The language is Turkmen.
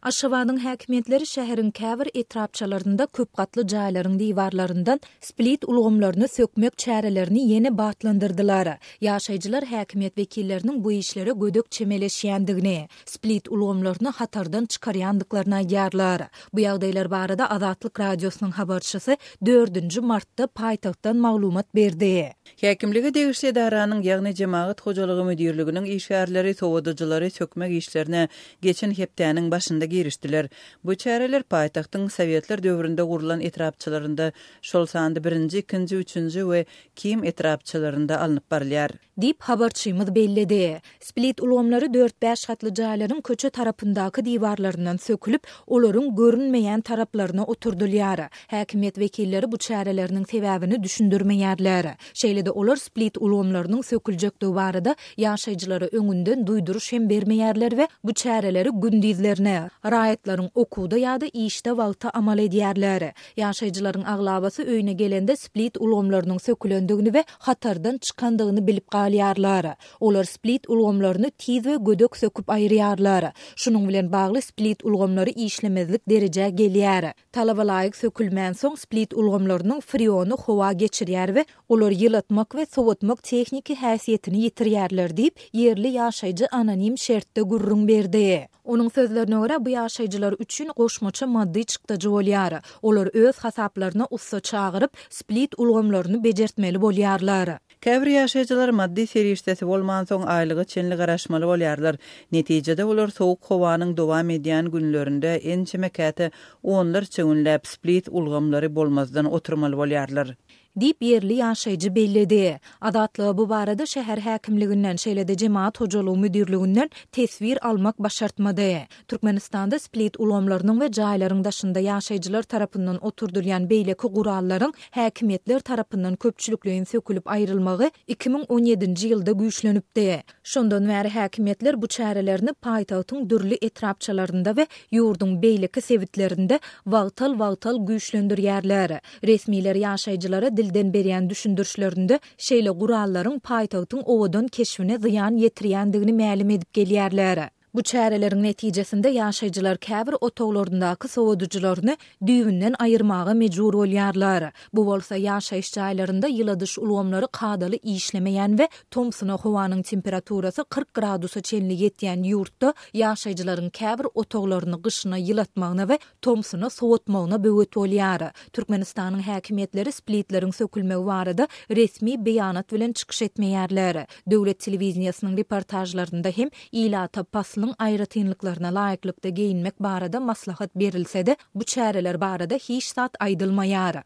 Aşgabadyň häkimiýetleri şäheriň käbir etrapçalarynda köp gatly jaýlaryň diwarlaryndan split ulgamlaryny sökmek çärelerini ýene batlandyrdylar. Ýaşaýjylar häkimiýet wekilleriniň bu işlere gödek çemeleşýändigini, split ulgamlaryny hatardan çykarýandyklaryny aýdýarlar. Bu ýagdaýlar barada Azatlyk Radiosynyň habarçysy dördünji martda paýtagtdan maglumat berdi. Häkimlige degişli edaranyň, ýagny Jemagat hojalygy müdirliginiň işgärleri sowadyjylary sökmek işlerine geçen hepdäniň başynda girişdiler. Bu çäreler paýtagtyň sowetler döwründe gurlan etrapçalarynda, şol sanda birinji, ikinji, üçünji we Kim etrapçalarynda alnyp barylýar. Diýip, habarçymyz belledi. Split ulgamlary dört-bäş gatly jaýlaryň köçe tarapyndaky diwarlaryndan sökülip, olaryň görünmeýän taraplaryna oturdylýar. Häkimiýet wekilleri bu çäreleriniň sebäbini düşündirmeýärler. Şeýle-de olar split ulgamlarynyň söküljekdigi barada ýaşaýjylara öňünden duýduryş hem bermeýärler we bu çäreleri gündizlerine, raýatlaryň okuwda ýa-da işde wagty amal edýärler. Ýaşaýjylaryň aglabasy öýüne gelende split ulgamlarynyň sökülendigini we hatardan çykandygyny bilip galýarlar. Olar split ulgamlaryny tiz we gödek söküp aýyrýarlar. Şunuň bilen bagly split ulgamlary işlemezlik derejä gelýär. Talaba laýyk sökülmänsoň split ulgamlarynyň freony howa geçirýär we olar ýylatmak we sowatmak tehniki häsiýetini ýitirýärler diýip, ýerli ýaşaýjy anonim şertde gürrüň berdi. Onuň sözlerine görä, bu ýaşaýjylar üçin goşmaça maddy çykdajy bolýar. Olar öz hasaplaryna ussa çagyryp, split ulgamlaryny bejertmeli bolýarlar. Käbir ýaşaýjylar maddy serişdesi bolmansoň aýlyga çenli garaşmaly bolýarlar. Netijede olar sowuk howanyň dowam edýän günlerinde ençeme käte onlarça günläp split ulgamlary bolmazdan oturmaly bolýarlar. Diýip, ýerli ýaşaýjy belledi. Azatlyga bu barada şäher häkimliginden, şeýle-de jemagat hojalygy müdirliginden teswir almak başartmady. Türkmenistanda split ulgamlarynyň we jaýlaryň daşynda ýaşaýjylar tarapyndan oturdylýan beýleki gurallaryň häkimiýetler tarapyndan köpçülikleýin sökülip aýrylmagy 2017-nji ýylda güýçlenipdi. Şondan bäri häkimiýetler bu çärelerini paýtagtyň dürli etrapçalarynda we ýurduň beýleki sebitlerinde wagtal-wagtal güýçlendirýärler. Resmiler ýaşaýjylara dilden berýän düşündirişlerinde şeýle gurallaryň paýtagtyň owadan keşbine zyýan ýetirýändigini mälim edip gelýärler. Bu çäreleriň netijesinde ýaşaýjylar käbir otaglaryndaky sowadyjylaryny düýbünden aýyrmaga mejbur bolýarlar. Bu bolsa ýaşaýyş jaýlarynda ýyladyş ulgamlary kadaly işlemeýän we tomsuna howanyň temperaturasy 40 gradusa çenli ýetýän ýurtda ýaşaýjylaryň käbir otaglaryny gyşyna ýylatmagyna we tomsuna sowatmagyna böwet bolýar. Türkmenistanyň häkimiýetleri splitleriň sökülmegi barada resmi beýanat bilen çykyş etmeýärler. Döwlet telewideniýesiniň reportažlarynda hem ilata paslyň aýratynlyklaryna laýyklykda geýinmek barada maslahat berilse-de, bu çäreler barada hiç zat aýdylmaýar.